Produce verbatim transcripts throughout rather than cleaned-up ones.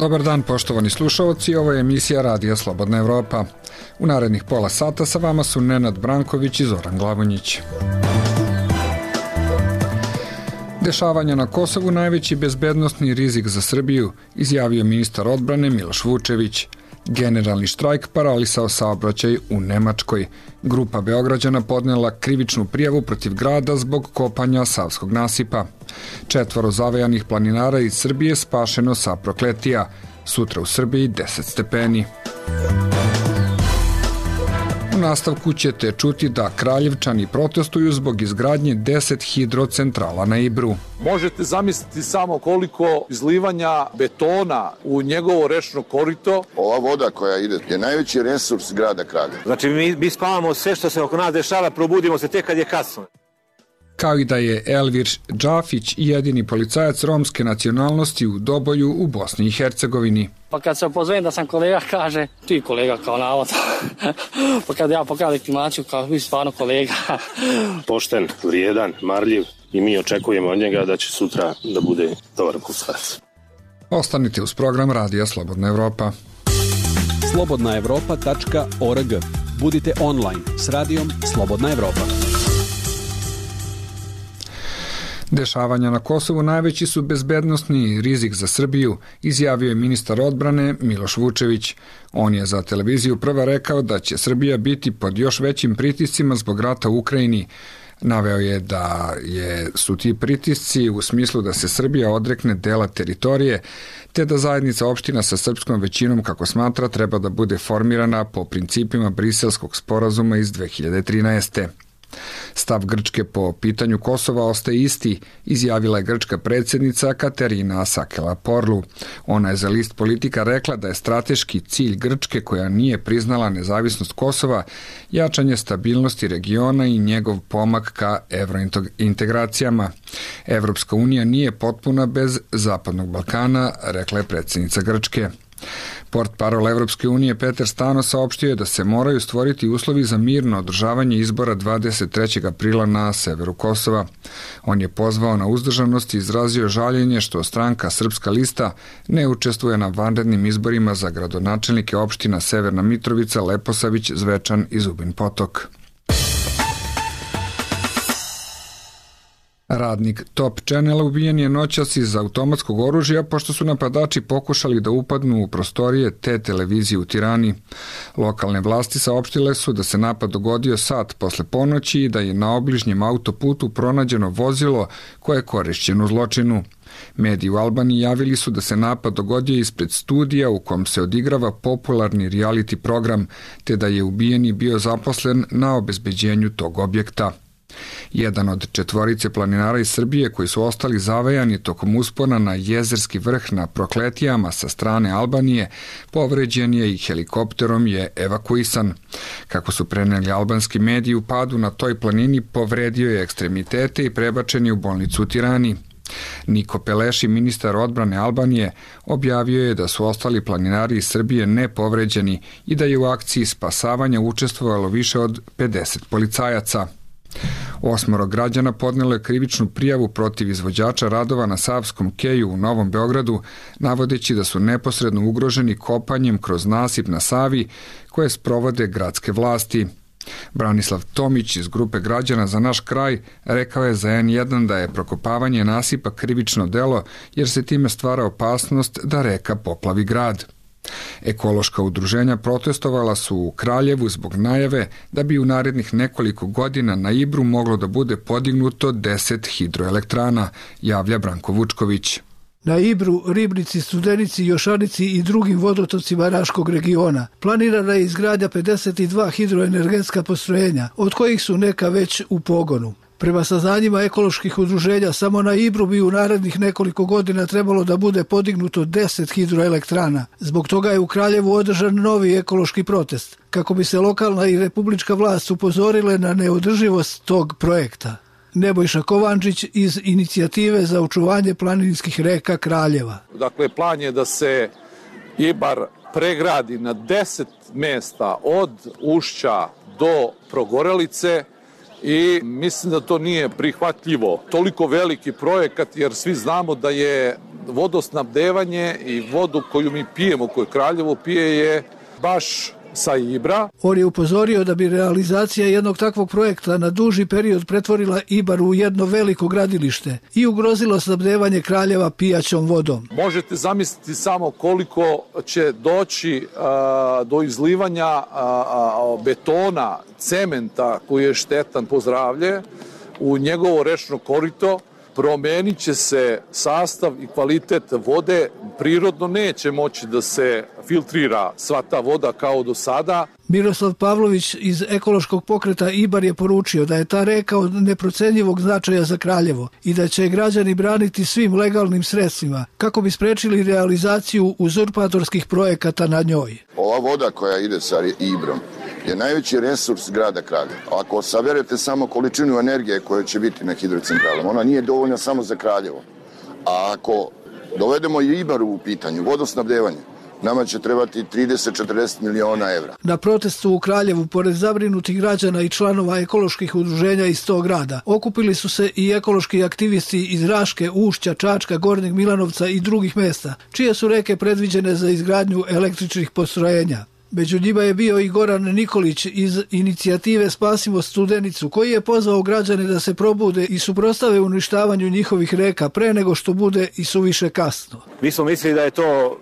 Dobar dan, poštovani slušalci, ovo je emisija Radija Slobodna Evropa. U narednih pola sata sa vama su Nenad Branković i Zoran Glavonjić. Dešavanja na Kosovu najveći bezbednostni rizik za Srbiju, izjavio ministar odbrane Miloš Vučević. Generalni štrajk paralisao saobraćaj u Nemačkoj. Grupa Beograđana podnela krivičnu prijavu protiv grada zbog kopanja Savskog nasipa. Četvoro zavejanih planinara iz Srbije spašeno sa Prokletija. Sutra u Srbiji deset stepeni. U nastavku ćete čuti da Kraljevčani protestuju zbog izgradnje deset hidrocentrala na Ibru. Možete zamisliti samo koliko izlivanja betona u njegovo rečno korito. Ova voda koja ide je najveći resurs grada Kraljeva. Znači mi, mi spavamo sve što se oko nas dešava, probudimo se tek kad je kasno. Kao i da je Elvir Džafić jedini policajac romske nacionalnosti u Doboju u Bosni i Hercegovini. Pa kad se opozovem da sam kolega, kaže, ti kolega kao navodno. Pa kad ja pokazam legitimaciju, kao vi stvarno kolega. Pošten, vrijedan, marljiv i mi očekujemo od njega da će sutra da bude dobar policajac. Ostanite uz program Radija Slobodna Evropa. slobodna evropa tačka org. Budite online s radijom Slobodna Evropa. Dešavanja na Kosovu najveći su bezbednostni rizik za Srbiju, izjavio je ministar odbrane Miloš Vučević. On je za televiziju Prva rekao da će Srbija biti pod još većim pritiscima zbog rata u Ukrajini. Naveo je da je, su ti pritisci u smislu da se Srbija odrekne dela teritorije, te da zajednica opština sa srpskom većinom, kako smatra, treba da bude formirana po principima Briselskog sporazuma iz dve hiljade trinaeste. Stav Grčke po pitanju Kosova ostaje isti, izjavila je grčka predsjednica Katerina Sakela-Porlu. Ona je za list Politika rekla da je strateški cilj Grčke, koja nije priznala nezavisnost Kosova, jačanje stabilnosti regiona i njegov pomak ka evrointegracijama. Evropska unija nije potpuna bez Zapadnog Balkana, rekla je predsjednica Grčke. Portparol Evropske unije Petar Stano saopštio je da se moraju stvoriti uslovi za mirno održavanje izbora dvadeset trećeg aprila na severu Kosova. On je pozvao na uzdržanost i izrazio žaljenje što stranka Srpska lista ne učestvuje na vanrednim izborima za gradonačelnike opština Severna Mitrovica, Leposavić, Zvečan i Zubin Potok. Radnik Top Channela ubijen je noćas iz automatskog oružja pošto su napadači pokušali da upadnu u prostorije te televizije u Tirani. Lokalne vlasti saopštile su da se napad dogodio sat posle ponoći i da je na obližnjem autoputu pronađeno vozilo koje je korišćeno u zločinu. Mediji u Albaniji javili su da se napad dogodio ispred studija u kom se odigrava popularni reality program, te da je ubijeni bio zaposlen na obezbeđenju tog objekta. Jedan od četvorice planinara iz Srbije koji su ostali zavejani tokom uspona na Jezerski vrh na Prokletijama sa strane Albanije, povređen je i helikopterom je evakuisan. Kako su preneli albanski mediji, u padu na toj planini povredio je ekstremitete i prebačen je u bolnicu u Tirani. Niko Peleši, ministar odbrane Albanije, objavio je da su ostali planinari iz Srbije nepovređeni i da je u akciji spasavanja učestvovalo više od pedeset policajaca. Osmoro građana podnelo je krivičnu prijavu protiv izvođača radova na Savskom keju u Novom Beogradu, navodeći da su neposredno ugroženi kopanjem kroz nasip na Savi koje sprovode gradske vlasti. Branislav Tomić iz grupe građana Za naš kraj rekao je za en jedan da je prokopavanje nasipa krivično delo jer se time stvara opasnost da reka poplavi grad. Ekološka udruženja protestovala su u Kraljevu zbog najave da bi u narednih nekoliko godina na Ibru moglo da bude podignuto deset hidroelektrana, javlja Branko Vučković. Na Ibru, Ribnici, Studenici, Jošanici i drugim vodotocima Raškog regiona planirana je izgradnja pedeset dva hidroenergetska postrojenja, od kojih su neka već u pogonu. Prema saznanjima ekoloških udruženja, samo na Ibru bi u narednih nekoliko godina trebalo da bude podignuto deset hidroelektrana. Zbog toga je u Kraljevu održan novi ekološki protest, kako bi se lokalna i republička vlast upozorile na neodrživost tog projekta. Nebojša Kovančić iz Inicijative za očuvanje planinskih reka Kraljeva. Dakle, plan je da se Ibar pregradi na deset mesta od Ušća do Progorelice, i mislim da to nije prihvatljivo. Toliko veliki projekat, jer svi znamo da je vodosnabdevanje i vodu koju mi pijemo, koju Kraljevo pije, je baš sa Ibra. On je upozorio da bi realizacija jednog takvog projekta na duži period pretvorila Ibar u jedno veliko gradilište i ugrozilo snabdevanje Kraljeva pijaćom vodom. Možete zamisliti samo koliko će doći a, do izlivanja a, a, betona, cementa koji je štetan po zdravlje u njegovo rečno korito. Promenit će se sastav i kvalitet vode, prirodno neće moći da se filtrira sva ta voda kao do sada. Miroslav Pavlović iz ekološkog pokreta Ibar je poručio da je ta reka od neprocenjivog značaja za Kraljevo i da će građani braniti svim legalnim sredstvima kako bi sprečili realizaciju uzurpatorskih projekata na njoj. Ova voda koja ide sa Ibrom je najveći resurs grada Kraljeva. Ako saberete samo količinu energije koja će biti na hidrocentralama, ona nije dovoljna samo za Kraljevo. A ako dovedemo i Ibar u pitanju, vodosnabdevanje, nama će trebati trideset do četrdeset miliona evra. Na protestu u Kraljevu, pored zabrinutih građana i članova ekoloških udruženja iz tog grada, okupili su se i ekološki aktivisti iz Raške, Ušća, Čačka, Gornjeg Milanovca i drugih mesta, čije su reke predviđene za izgradnju električnih postrojenja. Među njima je bio i Goran Nikolić iz inicijative Spasimo Studenicu, koji je pozvao građane da se probude i suprotstave uništavanju njihovih reka pre nego što bude i suviše kasno. Mi smo mislili da je to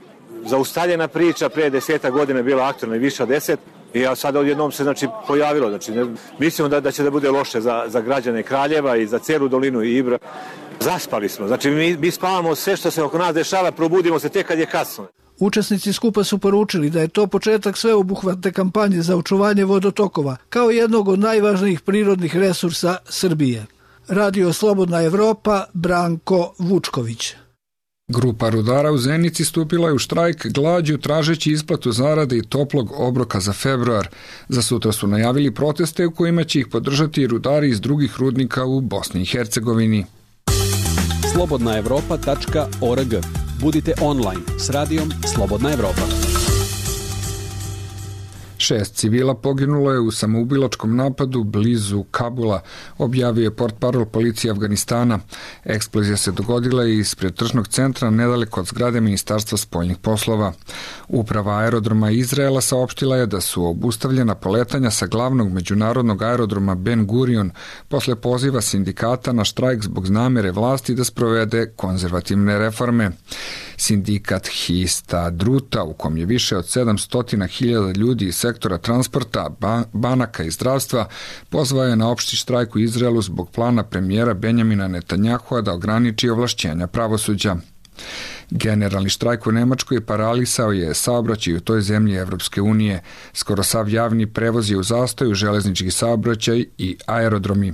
zaustavljena priča, pre deseta godina je bila aktualna i više od deset, i sad odjednom se znači pojavilo. Znači, ne, mislimo da, da će da bude loše za, za građane Kraljeva i za celu dolinu i Ibra. Zaspali smo, znači mi, mi spavamo sve što se oko nas dešava, probudimo se tek kad je kasno. Učesnici skupa su poručili da je to početak sveobuhvatne kampanje za očuvanje vodotokova, kao jednog od najvažnijih prirodnih resursa Srbije. Radio Slobodna Evropa, Branko Vučković. Grupa rudara u Zenici stupila je u štrajk glađu tražeći isplatu zarade i toplog obroka za februar. Za sutra su najavili proteste u kojima će ih podržati rudari iz drugih rudnika u Bosni i Hercegovini. slobodna evropa tačka org. Budite online s radijom Slobodna Evropa. Šest civila poginulo je u samoubilačkom napadu blizu Kabula, objavio je portparol policije Afganistana. Eksplozija se dogodila ispred tržnog centra nedaleko od zgrade Ministarstva spoljnih poslova. Uprava aerodroma Izraela saopštila je da su obustavljena poletanja sa glavnog međunarodnog aerodroma Ben Gurion posle poziva sindikata na štrajk zbog namere vlasti da sprovede konzervativne reforme. Sindikat Histadruta, u kom je više od sedamsto hiljada ljudi iz sektora transporta, banaka i zdravstva, pozvao je na opšti štrajk u Izraelu zbog plana premijera Benjamina Netanjahua da ograniči ovlašćenja pravosuđa. Generalni štrajk u Nemačkoj paralisao je saobraćaj u toj zemlji Evropske unije. Skoro sav javni prevoz je u zastoju, železnički saobraćaj i aerodromi.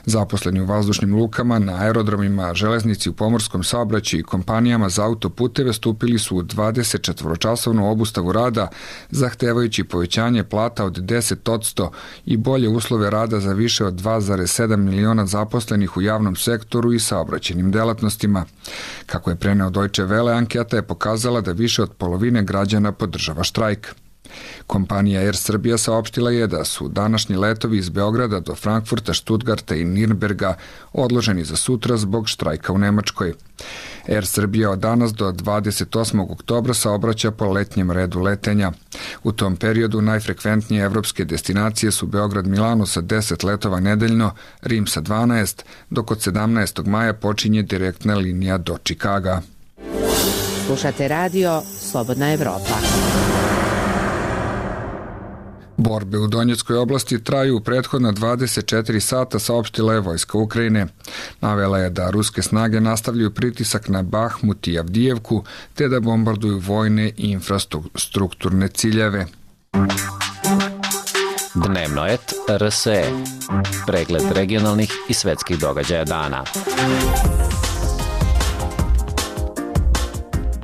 Zaposleni u vazdušnim lukama, na aerodromima, železnici u pomorskom saobraćaju i kompanijama za autoputeve stupili su u dvadesetčetvoročasovnu obustavu rada, zahtevajući povećanje plata od deset odsto i bolje uslove rada za više od dva zarez sedam miliona zaposlenih u javnom sektoru i saobraćajnim delatnostima. Kako je preneo Deutsche Welle, anketa je pokazala da više od polovine građana podržava štrajk. Kompanija Air Srbija saopštila je da su današnji letovi iz Beograda do Frankfurta, Stuttgarta i Nirnberga odloženi za sutra zbog štrajka u Nemačkoj. Air Srbija od danas do dvadeset osmog oktobra saobraća po letnjem redu letenja. U tom periodu najfrekventnije evropske destinacije su Beograd-Milano sa deset letova nedeljno, Rim sa dvanaest, dok od sedamnaestog maja počinje direktna linija do Čikaga. Slušate radio Slobodna Evropa. Borbe u Donjeckoj oblasti traju u prethodna dvadeset četiri sata, saopštila je vojska Ukrajine. Navela je da ruske snage nastavljaju pritisak na Bahmut i Avdijevku, te da bombarduju vojne i infrastrukturne ciljeve. Dnevnoet R S E. Pregled regionalnih i svetskih događaja dana.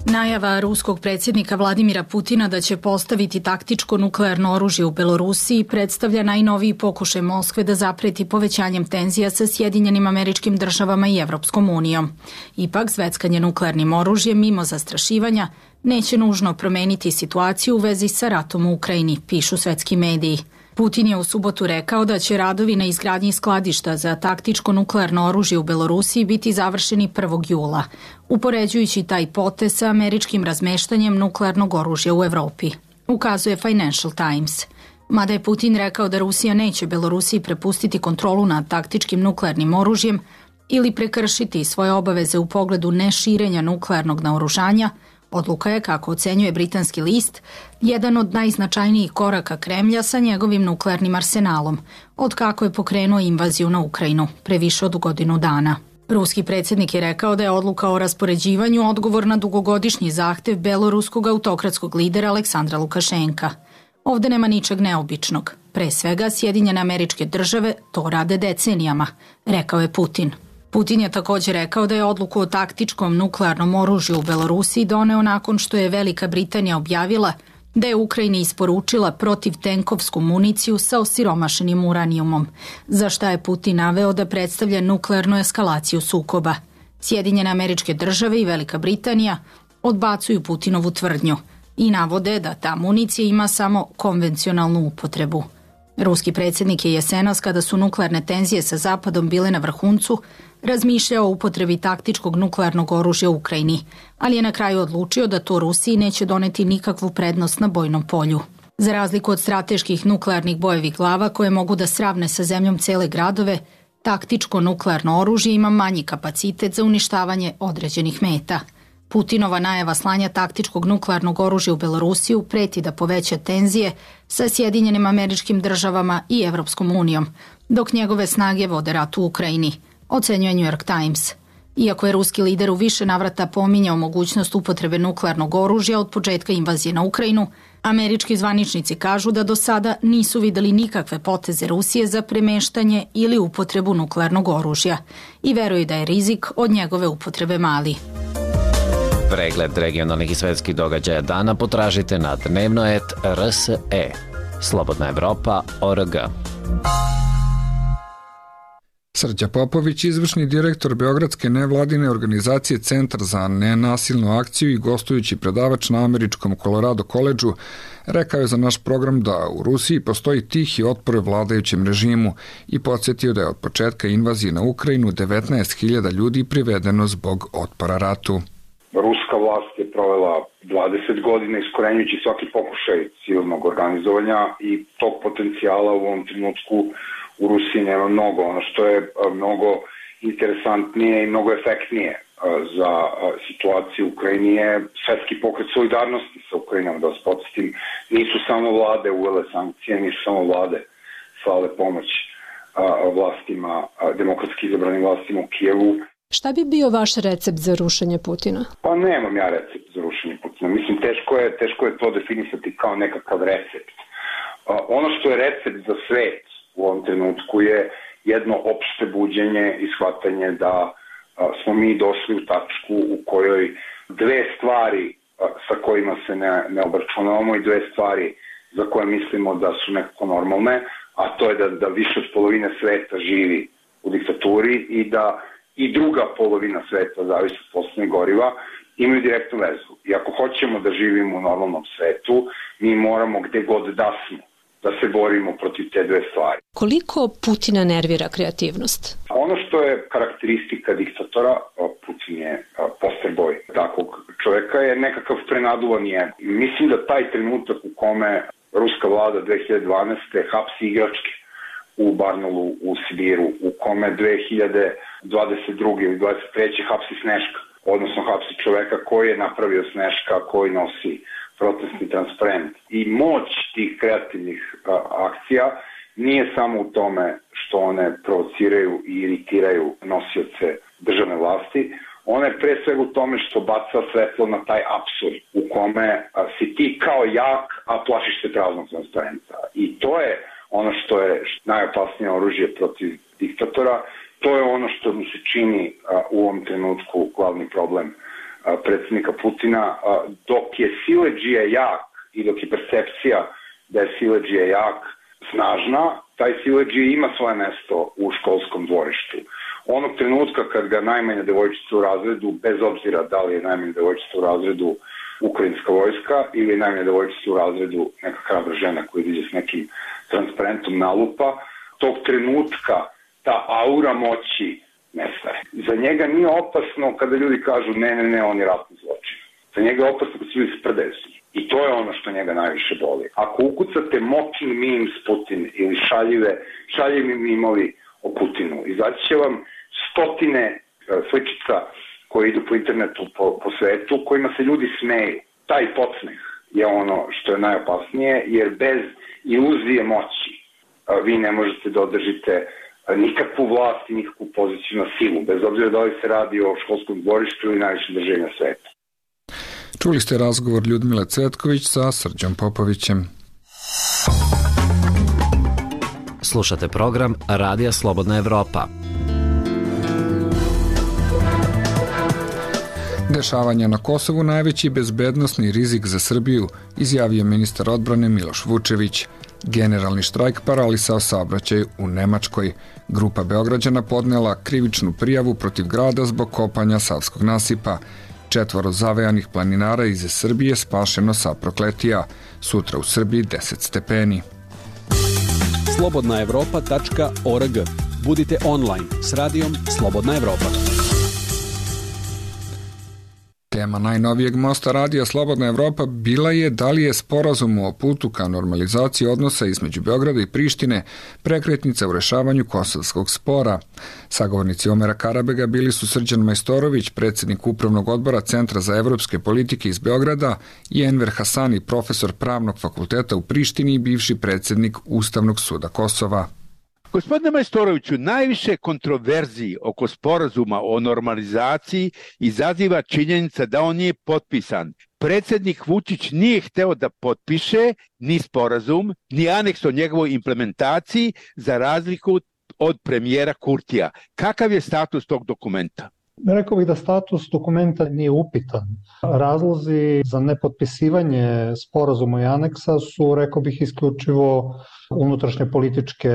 Najava ruskog predsjednika Vladimira Putina da će postaviti taktičko nuklearno oružje u Belorusiji predstavlja najnoviji pokušaj Moskve da zapreti povećanjem tenzija sa Sjedinjenim Američkim Državama i Evropskom unijom. Ipak, zveckanje nuklearnim oružjem mimo zastrašivanja neće nužno promeniti situaciju u vezi sa ratom u Ukrajini, pišu svetski mediji. Putin je u subotu rekao da će radovi na izgradnji skladišta za taktičko nuklearno oružje u Belorusiji biti završeni prvog jula, upoređujući taj potez sa američkim razmeštanjem nuklearnog oružja u Evropi, ukazuje Financial Times. Mada je Putin rekao da Rusija neće Belorusiji prepustiti kontrolu nad taktičkim nuklearnim oružjem ili prekršiti svoje obaveze u pogledu neširenja nuklearnog naoružanja, odluka je, kako ocenjuje britanski list, jedan od najznačajnijih koraka Kremlja sa njegovim nuklearnim arsenalom, od kako je pokrenuo invaziju na Ukrajinu pre više od godinu dana. Ruski predsjednik je rekao da je odluka o raspoređivanju odgovor na dugogodišnji zahtev beloruskog autokratskog lidera Aleksandra Lukašenka. Ovde nema ničeg neobičnog. Pre svega, Sjedinjene Američke Države to rade decenijama, rekao je Putin. Putin je također rekao da je odluku o taktičkom nuklearnom oružju u Belorusiji doneo nakon što je Velika Britanija objavila da je Ukrajini isporučila protivtenkovsku municiju sa osiromašenim uranijumom, za šta je Putin naveo da predstavlja nuklearnu eskalaciju sukoba. Sjedinjene Američke Države i Velika Britanija odbacuju Putinovu tvrdnju i navode da ta municija ima samo konvencionalnu upotrebu. Ruski predsjednik je jesenas, kada su nuklearne tenzije sa Zapadom bile na vrhuncu, razmišljao o upotrebi taktičkog nuklearnog oružja u Ukrajini, ali je na kraju odlučio da to Rusiji neće doneti nikakvu prednost na bojnom polju. Za razliku od strateških nuklearnih bojevih glava koje mogu da sravne sa zemljom cele gradove, taktičko nuklearno oružje ima manji kapacitet za uništavanje određenih meta. Putinova najava slanja taktičkog nuklearnog oružja u Belorusiju preti da poveća tenzije sa Sjedinjenim Američkim Državama i Evropskom unijom, dok njegove snage vode rat u Ukrajini, ocenjuje New York Times. Iako je ruski lider u više navrata pominjao mogućnost upotrebe nuklearnog oružja od početka invazije na Ukrajinu, američki zvaničnici kažu da do sada nisu videli nikakve poteze Rusije za premeštanje ili upotrebu nuklearnog oružja i veruju da je rizik od njegove upotrebe mali. Pregled regionalnih i svetskih događaja dana potražite na dnevnoet R S E. Slobodna Evropa точка о р г. Srđa Popović, izvršni direktor Beogradske nevladine organizacije Centar za nenasilnu akciju i gostujući predavač na američkom Colorado koledžu, rekao je za naš program da u Rusiji postoji tihi otpor vladajućem režimu i podsjetio da je od početka invazije na Ukrajinu devetnaest hiljada ljudi privedeno zbog otpora ratu. Ruska vlast je provela dvadeset godina iskorenjujući svaki pokušaj civilnog organizovanja i tog potencijala u ovom trenutku u Rusiji nema mnogo. Ono što je mnogo interesantnije i mnogo efektnije za situaciju u Ukrajini je svetski pokret solidarnosti sa Ukrajinom. Da vas podsjetim, nisu samo vlade uvele sankcije, nisu samo vlade slale pomoć vlastima, demokratski izabranim vlastima u Kijevu. Šta bi bio vaš recept za rušenje Putina? Pa nemam ja recept za rušenje Putina. Mislim, teško je, teško je to definisati kao nekakav recept. Ono što je recept za svet u ovom trenutku je jedno opšte buđenje i shvatanje da smo mi došli u tačku u kojoj dve stvari sa kojima se ne, ne obračunavamo i dve stvari za koje mislimo da su nekako normalne, a to je da, da više od polovine sveta živi u diktaturi i da i druga polovina sveta, zavisi od fosilnih goriva, imaju direktnu vezu. I ako hoćemo da živimo u normalnom svetu, mi moramo gde god da smo, da se borimo protiv te dve stvari. Koliko Putina nervira kreativnost? Ono što je karakteristika diktatora, Putin je poster boj takvog čoveka, je nekakav prenaduvan je. Mislim da taj trenutak u kome ruska vlada dve hiljade dvanaeste. hapsi igračke u Barnaulu u Sibiru, u kome dve hiljade dvadeset druge ili dvadeset treće hapsi Sneška, odnosno hapsi čoveka koji je napravio Sneška, koji nosi protestni transparent. I moć tih kreativnih a, akcija nije samo u tome što one provociraju i iritiraju nosioce državne vlasti, ona je pre svega u tome što baca svetlo na taj apsurd u kome a, si ti kao jak, a plašiš se praznog transparenta. I to je ono što je najopasnije oružje protiv diktatora. To je ono što mi se čini a, u ovom trenutku glavni problem a, predsjednika Putina. A, dok je siledžija jak i dok je percepcija da je siledžija jak snažna, taj siledžija ima svoje mesto u školskom dvorištu. Onog trenutka kad ga najmanja devojčica u razredu, bez obzira da li je najmanja devojčica u razredu ukrajinska vojska ili najmanje devojčica u razredu neka hrabra žena koja izađe s nekim transparentom nalupa, tog trenutka ta aura moći nestaje. Za njega nije opasno kada ljudi kažu ne, ne, ne, on je ratni zločin. Za njega je opasno kada se ljudi sprdaju s njim. I to je ono što njega najviše boli. Ako ukucate mocking memes Putin ili šaljive, šaljivi mimovi o Putinu, izaći će vam stotine sličica koje idu po internetu, po, po svetu, kojima se ljudi smeju. Taj podsmeh je ono što je najopasnije, jer bez iluzije moći vi ne možete da održite nikakvu vlast i nikakvu poziciju na silu, bez obzira da li se radi o školskom dvorištu ili najvišem državljenja sveta. Čuli ste razgovor Ljudmile Cvetković sa Srđom Popovićem. Slušate program Radija Slobodna Evropa. Dešavanja na Kosovu najveći bezbednosni rizik za Srbiju, izjavio ministar odbrane Miloš Vučević. Generalni štrajk paralisao saobraćaj u Nemačkoj. Grupa Beograđana podnela krivičnu prijavu protiv grada zbog kopanja Savskog nasipa. Četvoro zavejanih planinara iz Srbije spašeno sa Prokletija. Sutra u Srbiji deset stepeni. slobodna evropa tačka org. Budite online s radijom Slobodna Evropa. Tema najnovijeg mosta radija Slobodna Evropa bila je da li je sporazum o putu ka normalizaciji odnosa između Beograda i Prištine prekretnica u rešavanju kosovskog spora. Sagovornici Omera Karabega bili su Srđan Majstorović, predsjednik Upravnog odbora Centra za evropske politike iz Beograda, i Enver Hasani, profesor Pravnog fakulteta u Prištini i bivši predsjednik Ustavnog suda Kosova. Gospodine Majstoroviću, najviše kontroverziji oko sporazuma o normalizaciji izaziva činjenica da on nije potpisan. Predsjednik Vučić nije hteo da potpiše ni sporazum, ni aneks o njegovoj implementaciji, za razliku od premijera Kurtija. Kakav je status tog dokumenta? Rekao bih da status dokumenta nije upitan. Razlozi za nepotpisivanje sporazuma i aneksa su, rekao bih, isključivo unutrašnje političke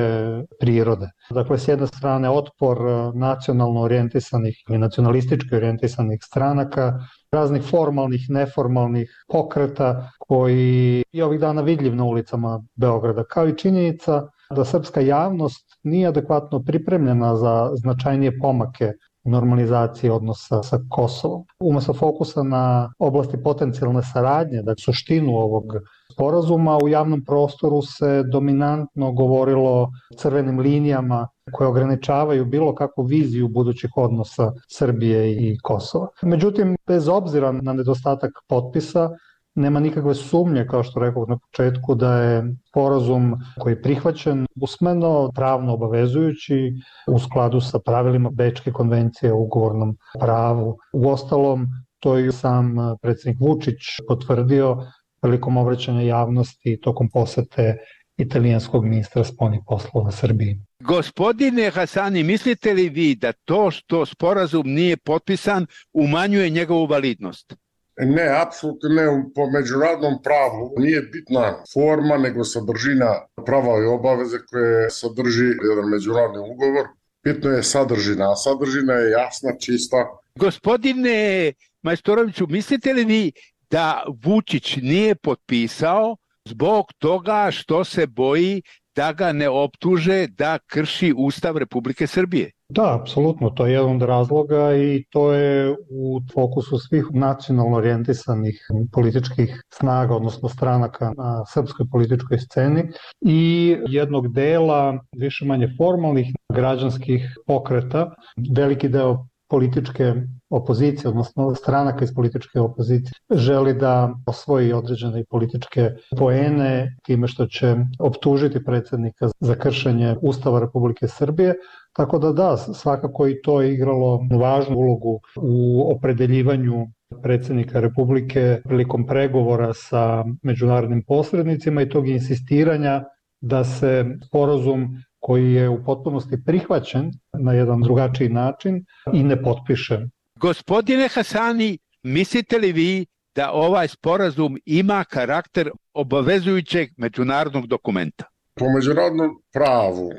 prirode. Dakle, s jedne strane otpor nacionalno orijentisanih ili nacionalistički orijentisanih stranaka, raznih formalnih, neformalnih pokreta koji je ovih dana vidljiv na ulicama Beograda, kao i činjenica da srpska javnost nije adekvatno pripremljena za značajnije pomake normalizacije odnosa sa Kosovom. Umesto fokusa na oblasti potencijalne saradnje, dakle suštinu ovog sporazuma, u javnom prostoru se dominantno govorilo o crvenim linijama koje ograničavaju bilo kakvu viziju budućih odnosa Srbije i Kosova. Međutim, bez obzira na nedostatak potpisa, nema nikakve sumnje, kao što rekao na početku, da je sporazum koji je prihvaćen usmeno, pravno obavezujući, u skladu sa pravilima Bečke konvencije o ugovornom pravu. Uostalom, to je sam predsjednik Vučić potvrdio prilikom obraćanja javnosti tokom posete italijanskog ministra spoljnih poslova Srbiji. Gospodine Hasani, mislite li vi da to što sporazum nije potpisan umanjuje njegovu validnost? Ne, apsolutno ne. Po međunarodnom pravu nije bitna forma, nego sadržina prava i obaveze koje sadrži jedan međunarodni ugovor. Bitno je sadržina, a sadržina je jasna, čista. Gospodine Majstoroviću, mislite li vi da Vučić nije potpisao zbog toga što se boji da ga ne optuže da krši Ustav Republike Srbije? Da, apsolutno, to je jedan od razloga i to je u fokusu svih nacionalno orijentisanih političkih snaga, odnosno stranaka na srpskoj političkoj sceni i jednog dela više manje formalnih građanskih pokreta. Veliki deo političke opozicije, odnosno stranaka iz političke opozicije, želi da osvoji određene političke poene time što će optužiti predsjednika za kršenje Ustava Republike Srbije. Tako da da, svakako i to je igralo važnu ulogu u opredeljivanju predsjednika Republike prilikom pregovora sa međunarodnim posrednicima i tog insistiranja da se sporazum koji je u potpunosti prihvaćen na jedan drugačiji način i ne potpiše. Gospodine Hasani, mislite li vi da ovaj sporazum ima karakter obavezujućeg međunarodnog dokumenta? Po međunarodnom pravu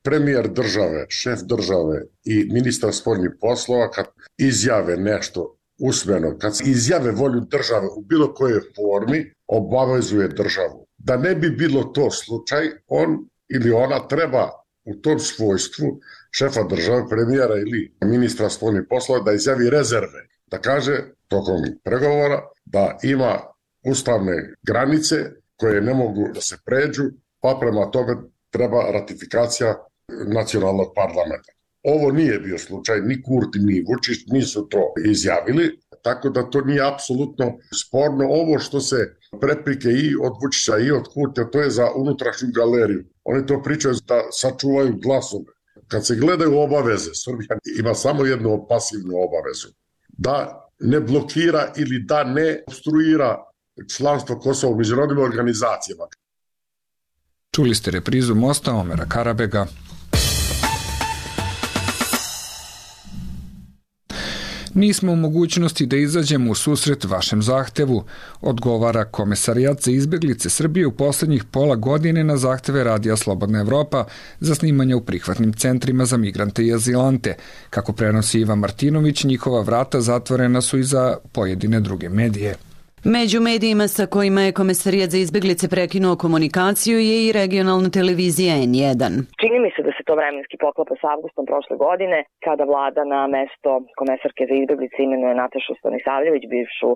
premijer države, šef države i ministar spoljnih poslova kad izjave nešto usmeno, kad se izjave volju države u bilo kojoj formi, obavezuje državu. Da ne bi bilo to slučaj, on ili ona treba u tom svojstvu šefa države, premijera ili ministra spoljnih poslova da izjavi rezerve, da kaže tokom pregovora da ima ustavne granice koje ne mogu da se pređu, pa prema tome treba ratifikacija nacionalnog parlamenta. Ovo nije bio slučaj, ni Kurti, ni Vučić nisu to izjavili, tako da to nije apsolutno sporno. Ovo što se preprike i od Vučića i od Kurtija, to je za unutrašnju galeriju. Oni to pričaju da sačuvaju glasove. Kad se gledaju obaveze, Srbija ima samo jednu pasivnu obavezu. Da ne blokira ili da ne obstruira članstvo Kosova u međunarodnim organizacijama. Čuli ste reprizu Mosta Omera Karabega. Nismo u mogućnosti da izađemo u susret vašem zahtevu, odgovara Komesarijat za izbeglice Srbije u poslednjih pola godine na zahteve Radija Slobodna Evropa za snimanje u prihvatnim centrima za migrante i azilante. Kako prenosi Iva Martinović, njihova vrata zatvorena su i za pojedine druge medije. Među medijima sa kojima je Komesarijat za izbeglice prekinuo komunikaciju je i regionalna televizija N jedan. Čini mi se da se to vremenski poklapa s avgustom prošle godine, kada vlada na mesto komesarke za izbeglice imenuje Natašu Stanisavljević, bivšu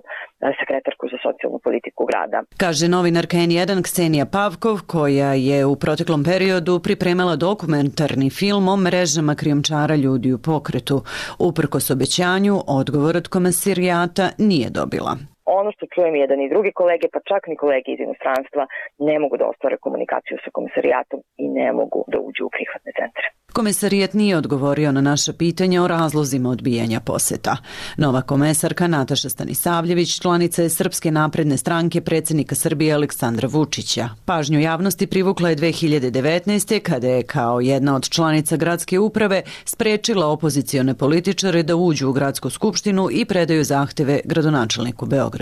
sekretarku za socijalnu politiku grada. Kaže novinarka N jedan Ksenija Pavkov, koja je u proteklom periodu pripremala dokumentarni film o mrežama krijumčara ljudi u pokretu. Uprkos obećanju, odgovor od Komesarijata nije dobila. Ono što čujem jedan i drugi kolege, pa čak ni kolege iz inostranstva, ne mogu da ostvare komunikaciju sa Komesarijatom i ne mogu da uđu u prihvatne centre. Komesarijat nije odgovorio na naša pitanja o razlozima odbijanja poseta. Nova komesarka Nataša Stanisavljević članica je Srpske napredne stranke predsjednika Srbije Aleksandra Vučića. Pažnju javnosti privukla je dve hiljade devetnaeste. kada je kao jedna od članica gradske uprave sprečila opozicione političare da uđu u gradsku skupštinu i predaju zahteve gradonačelniku Beograda.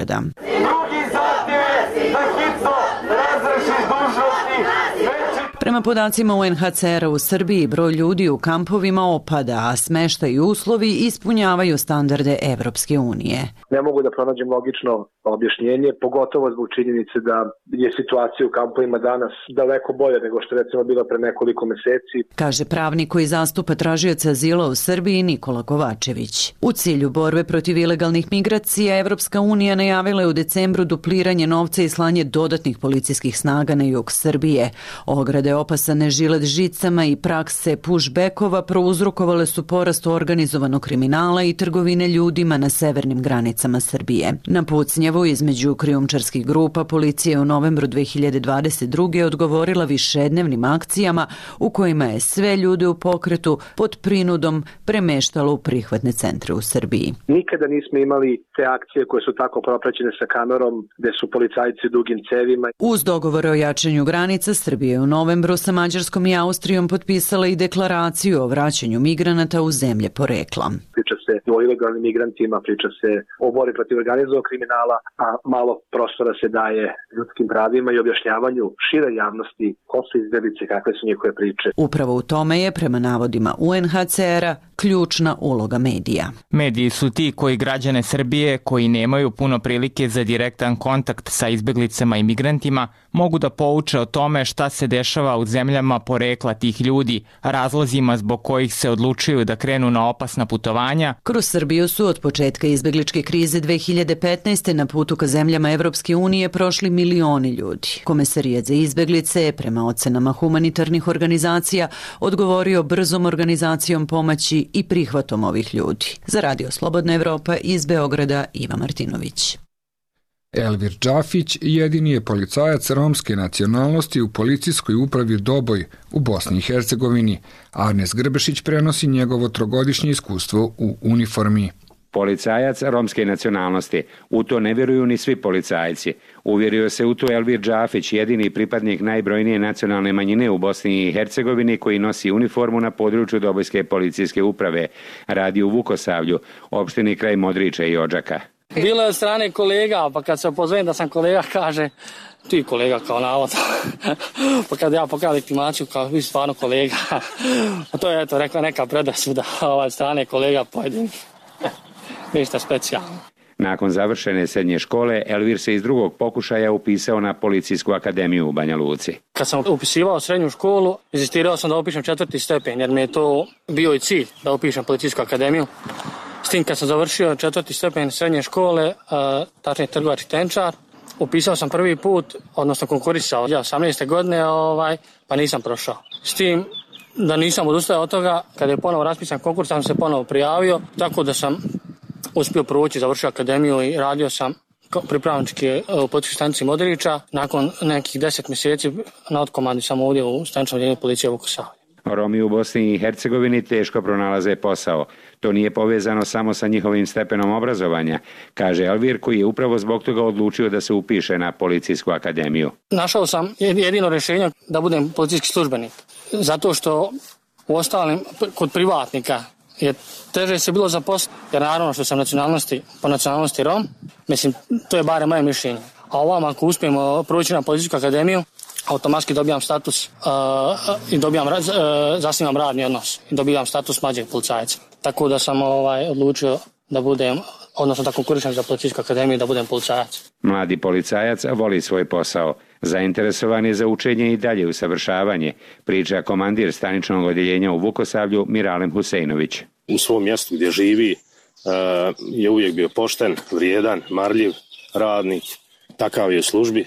Prema podacima U N H C R-a u Srbiji, broj ljudi u kampovima opada, a smeštaj i uslovi ispunjavaju standarde Evropske unije. Ne mogu da pronađem logično objašnjenje, pogotovo zbog činjenice da je situacija u kampovima danas daleko bolja nego što je recimo bila pre nekoliko meseci. Kaže pravnik koji zastupa tražioca azila u Srbiji Nikola Kovačević. U cilju borbe protiv ilegalnih migracija, Evropska unija najavila je u decembru dupliranje novca i slanje dodatnih policijskih snaga na jug Srbije. Ograde opasane žilet žicama i prakse pushbackova prouzrokovale su porast organizovanog kriminala i trgovine ljudima na severnim granicama Srbije. Na pucnjavu između krijumčarskih grupa policija je u novembru dve hiljade dvadeset druge odgovorila višednevnim akcijama u kojima je sve ljude u pokretu pod prinudom premeštalo u prihvatne centre u Srbiji. Nikada nismo imali te akcije koje su tako propraćene sa kamerom, gde su policajci dugim cevima. Uz dogovore o jačanju granica, Srbije je u novembru sa Mađarskom i Austrijom potpisala i deklaraciju o vraćanju migranata u zemlje porekla. Priča se o ilegalnim migrantima, priča se o borbi protiv organizovanog kriminala, a malo prostora se daje ljudskim pravima i objašnjavanju šire javnosti ko su izbeglice, kakve su njihove priče. Upravo u tome je, prema navodima U N H C R-a, ključna uloga medija. Mediji su ti koji građane Srbije, koji nemaju puno prilike za direktan kontakt sa izbeglicama i migrantima, mogu da pouče o tome šta se dešava u zemljama porekla tih ljudi, razlozima zbog kojih se odlučuju da krenu na opasna putovanja. Kroz Srbiju su od početka izbegličke krize dve hiljade petnaeste. na putu ka zemljama Evropske unije prošli milioni ljudi. Komesarijat za izbeglice je, prema ocenama humanitarnih organizacija, odgovorio brzom organizacijom pomoći i prihvatom ovih ljudi. Za Radio Slobodna Evropa iz Beograda, Iva Martinović. Elvir Džafić jedini je policajac romske nacionalnosti u policijskoj upravi Doboj u Bosni i Hercegovini. Arnes Grbešić prenosi njegovo trogodišnje iskustvo u uniformi. Policajac romske nacionalnosti. U to ne vjeruju ni svi policajci. Uvjerio se u to Elvir Džafić, jedini pripadnik najbrojnije nacionalne manjine u Bosni i Hercegovini koji nosi uniformu na području Dobojske policijske uprave. Radi u Vukosavlju, opštini kraj Modriča i Odžaka. Bilo je od strane kolega, pa kad se opozovem da sam kolega, kaže ti kolega kao navodno. Pa kad ja pokazam legitimaciju, kao vi stvarno kolega. A to je eto rekla neka predrasuda od strane kolega pojedinih. Ništa specijalno. Nakon završene srednje škole, Elvir se iz drugog pokušaja upisao na Policijsku akademiju u Banja Luci. Kad sam upisivao srednju školu, insistirao sam da upišem četvrti stepen, jer mi je to bio i cilj da upišem Policijsku akademiju. S tim kad sam završio četvrti stepen srednje škole, tačnije trgovački tenčar, upisao sam prvi put, odnosno konkurisao ja osamnaeste godine, ovaj, pa nisam prošao. S tim da nisam odustao od toga, kada je ponovo raspisan konkurs, sam se ponovo prijavio, tako da sam uspio proći, završio akademiju i radio sam pripravnički u policijskoj stanici Modrića. Nakon nekih deset mjeseci na otkomandi sam ovdje u staničnom odjeljenju policije Vukosavlje. Romi u Bosni i Hercegovini teško pronalaze posao. To nije povezano samo sa njihovim stepenom obrazovanja, kaže Elvir, koji je upravo zbog toga odlučio da se upiše na Policijsku akademiju. Našao sam jedino rješenje da budem policijski službenik, zato što u ostalim kod privatnika je teže se bilo zaposliti, jer naravno što sam nacionalnosti, po nacionalnosti Rom, mislim, to je barem moje mišljenje. A ovam ako uspijemo proći na Policijsku akademiju, automatski dobijam status uh, i dobijam, uh, zasnivam radni odnos i dobijam status mlađeg policajca. Tako da sam ovaj, odlučio da budem, odnosno da konkurišem za Policijsku akademiju, da budem policajac. Mladi policajac voli svoj posao. Zainteresovan je za učenje i dalje usavršavanje, priča komandir staničnog odjeljenja u Vukosavlju Miralem Huseinović. U svom mjestu gdje živi uh, je uvijek bio pošten, vrijedan, marljiv, radnik, takav je u službi.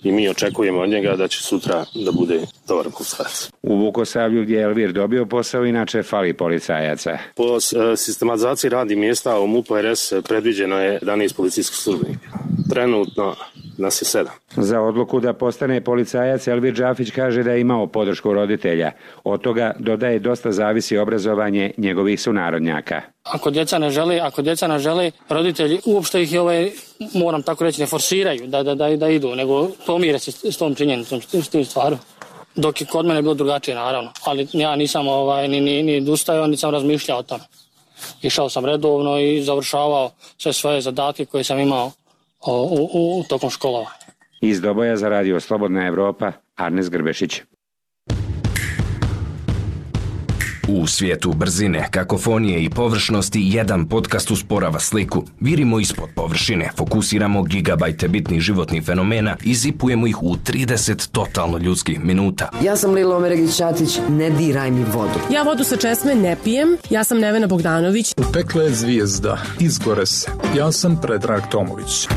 I mi očekujemo od njega da će sutra da bude dobar policajac. U Vukosavlju gdje je Elvir dobio posao, inače fali policajaca. Po sistematizaciji radnih mjesta u MUP-u R S predviđeno je jedanaest policijskih službenika. Trenutno nas je sedam. Za odluku da postane policajac Elvir Džafić kaže da je imao podršku roditelja. Od toga, dodaje, dosta zavisi obrazovanje njegovih sunarodnjaka. Ako djeca ne žele, ako djeca ne žele, roditelji uopšte ih ovaj, moram tako reći, ne forsiraju da, da, da, da idu, nego pomire se s tom činjenicom, s tim stvarom. Dok je kod mene bilo drugačije, naravno. Ali ja nisam ovaj, ni, ni, ni dostajao, ni sam razmišljao o tome. Išao sam redovno i završavao sve svoje zadatke koje sam imao u, u, u tokom školovanja. Iz Doboja za radio Slobodna Evropa, Arnes Grbešić. U svijetu brzine, kakofonije i površnosti jedan podcast usporava sliku. Virimo ispod površine, fokusiramo gigabajte bitnih životnih fenomena i zipujemo ih u trideset totalno ljudskih minuta. Ja sam Lila Omeregić-Ćatić, ne diraj mi vodu. Ja vodu sa česme ne pijem, ja sam Nevena Bogdanović. U pekle je zvijezda, izgore se. Ja sam Predrag Tomović.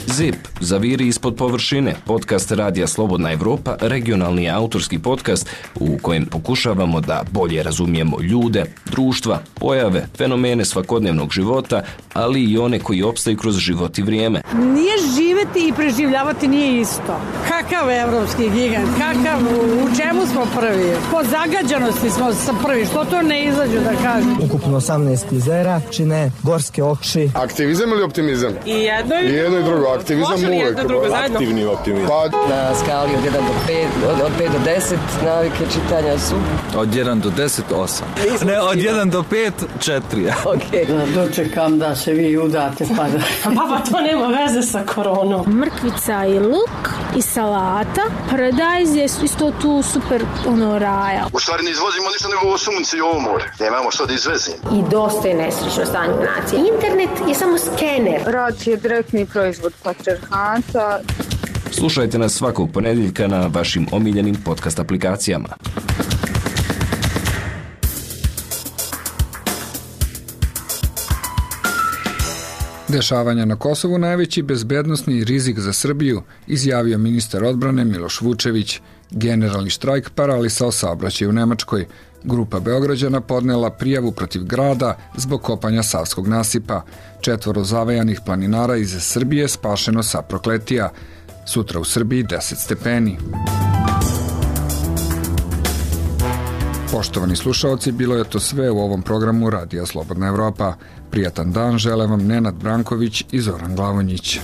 Zip, zaviri ispod površine, podcast Radija Slobodna Evropa, regionalni autorski podcast u kojem pokušavamo da bolje razumijemo ljude, društva, pojave, fenomene svakodnevnog života, ali i one koji opstaju kroz život i vrijeme. Nije živeti i preživljavati nije isto. Kakav evropski gigant, kakav, u čemu smo prvi? Po zagađanosti smo prvi, što to ne izađu da kažem? Ukupno osamnaest jezera, čine gorske oči. Aktivizam ili optimizam? I jedno i, I jedno i drugo. Aktivizam uvek. Aktivni optimizam. Pa... Na skali od jedan do pet, od, od pet do deset navike čitanja su... Od jedan do deset, osam. Ne, od jedan do pet, četiri. Okej. Okay. Dočekam da se vi udate pa da... Papa, to nema veze sa koronom. Mrkvica i luk i salata. Paradajz je isto tu super ono raja. U stvari ne izvozimo ništa nego ovo sunce i ovo more. Nemamo što da izvezimo. I dosta je nesrećno stanje nacije. Internet je samo skener. Rad je direktni proizvod patriarhata. Slušajte nas svakog ponedjeljka na vašim omiljenim podcast aplikacijama. Dešavanja na Kosovu najveći bezbednosni rizik za Srbiju, izjavio ministar odbrane Miloš Vučević. Generalni štrajk paralisao saobraćaj u Nemačkoj. Grupa Beograđana podnela prijavu protiv grada zbog kopanja Savskog nasipa. Četvoro zavajanih planinara iz Srbije spašeno sa Prokletija. Sutra u Srbiji deset stepeni. Poštovani slušaoci, bilo je to sve u ovom programu Radija Slobodna Evropa. Prijatan dan žele vam Nenad Branković i Zoran Glavonjić.